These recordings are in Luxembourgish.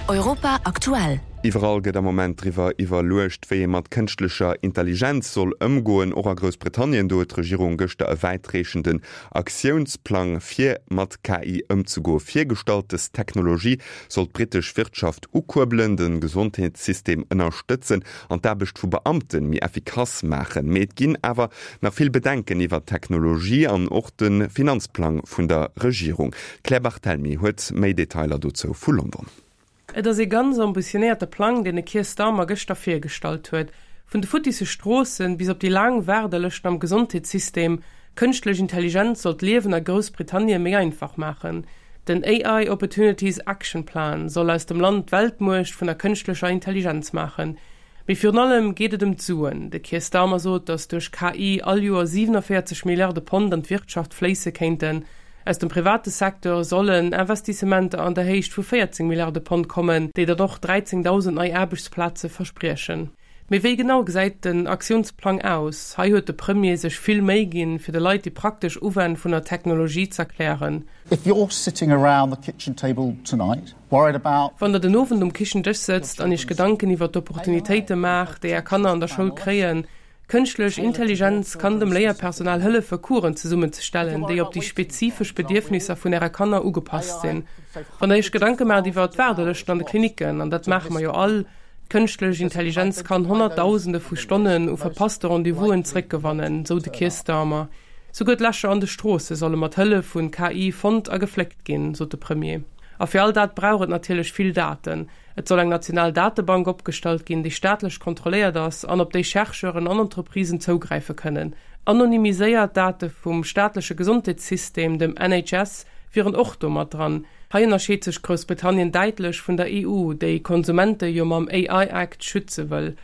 Europa aktuell. Iwwerall gëtt am Moment driwwer iwwerluecht, wéi ee mat kënschtlecher Intelligenz soll ëmgoen. Och a Groussbritannien, do huet d'Regierung gëschter e wäitreechenden Aktiounsplang fir mat KI ëmzegoe virgestallt. Dës Technologie soll d'brittesch Wirtschaft ukuerbelen, de Gesondheetssystem ënnerstëtzen an d'Aarbecht vu Beamte méi effikass maachen. Mee et ginn awer nach vill Bedenken iwwer d'Technologie an och de Finanzplang vun der Regierung. D'Claire Barthelmy huet méi Detailer dozou vu London. Et ass ee ganz ambitionéierte Plang, deen de Keir Starmer gëschter virgestallt huet. Vun de futtisse Stroossen bis op déi laang Waardelëschten am Gesondheetssystem, kënschtlech Intelligenz soll d'Liewen a Groussbritannien méi einfach maachen. Den AI Opportunities Action Plan soll aus dem Land d'Weltmuecht vun der kënschtlecher Intelligenz maachen. Mee virun allem geet et ëm d'Suen. De Keir Starmer sot, datt duerch KI all Joer 47 Milliarde Pond an d'Wirtschaft fléisse kéinten. Aus dem private Secteur sollen Investissementer an der Héicht vu 14 Milliarde Pond kommen, déi dann och 13.000 nei Aarbechtsplaze verspriechen. Mee wéi genau gesäit den Aktiounsplang aus? Hei huet de Premier sech vill Méi ginn, fir de Leit déi praktesch Uwänn vun der Technologie z'erklären. If you're sitting around the kitchen table tonight Wann der den Owend um Kichendësch sëtzt an iech Gedanken iwwer d'Opportunitéite maacht, déi är Kanner an der Schoul kréien, Kënschtlech Intelligenz kann dem Léierpersonal hëllefe Coursen zesummenzestellen, déi op déi spezifesch Bedierfnisser vun äre Kanner ugepasst sinn. Wann der iech Gedanke maacht iwwer d'Waardelëschten an de Klinicken, an dat maache mer jo all, Kënschtlech Intelligenz kann Honnertdausende vu Stonnen u verpasste Rendez-vousen zeréckgewannen, sou de Keir Starmer. Souguer d'Lächer an de Stroosse solle mat Hëllef vun KI fonnt a gefléckt ginn, sot de Premier. A fir all dat brauch et natierlech vill Daten. Et soll eng national Datebank opgestallt ginn, déi staatlech kontrolléiert ass an op déi Chercheuren an Entreprisen zougräife kënnen. Anonymiséiert Date vum staatleche Gesondheetssystem, dem NHS, wieren och do mat dran. Hei ënnerscheet sech Groussbritannien däitlech vun der EU, déi Konsumente jo mam AI Act schütze wëll.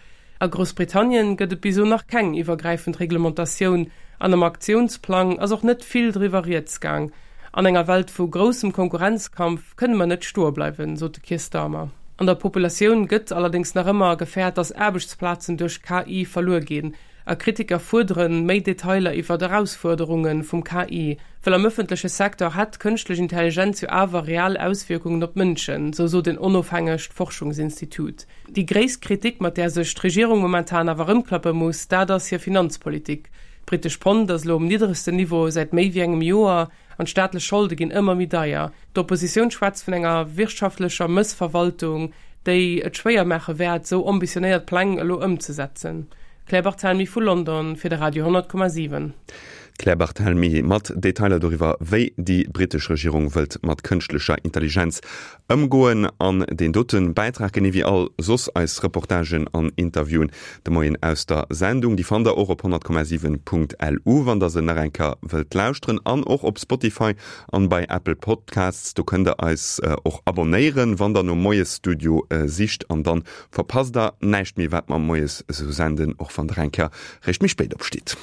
A Groussbritannien gëtt et bis elo nach keng iwwergräifend Reglementatioun an am Aktiounsplang ass och net vill driwwer rieds gaang. An enger Welt vu groussem Konkurrenzkampf kënne mer net stoe bleiwen, sot de Keir Starmer. An der Populatioun gëtt allerdéngs nach ëmmer gefäert, datt Aarbechtsplazen duerch KI verluer ginn. A Kritiker fuerdere méi Detailer iwwer d'Erausfuerderunge vum KI. Well am ëffentleche Secteur hätt d'kënschtlech Intelligenz jo awer real Auswierkungen op d'Mënschen, sou sot en onofhängegt Forschungsinstitut. Déi gréisst Kritik, mat där sech d'Regierung momentan awer erëmklappe muss, dat ass hir Finanzpolitik. D'brittesch Pond ass elo um nidderegsten Niveau säit méi wéi engem Joer an d'staatlech Scholde ginn ëmmer méi deier. D'Oppositioun schwätzt vun enger wirtschaftlecher Mëssverwaltung, déi et schwéier maache wäert, sou ambitionéiert Pläng elo ëmzesetzen. Claire Barthelmy vu London fir de Radio 10,7. D'Claire Barthelmy mat Detailer doriwwer, wéi déi brittesch Regierung wëllt mat kënschtlecher Intelligenz Ëmgoen an deen dote Bäitrag, genee wéi all soss eis Reportagen an Interviewen de Moien aus der Sendung, déi fannt der och op 100,7.lu, wann der se nach eng Kéier wëllt lauschteren, an och op Spotify an bei Apple Podcasts. Do kënnt der eis och abonnéieren, wann der nom Moiesstudio sicht, an dann verpasst der näischt méi, wat mer moies esou senden, och wann der eng Kéier réischt méi spéit opstitt.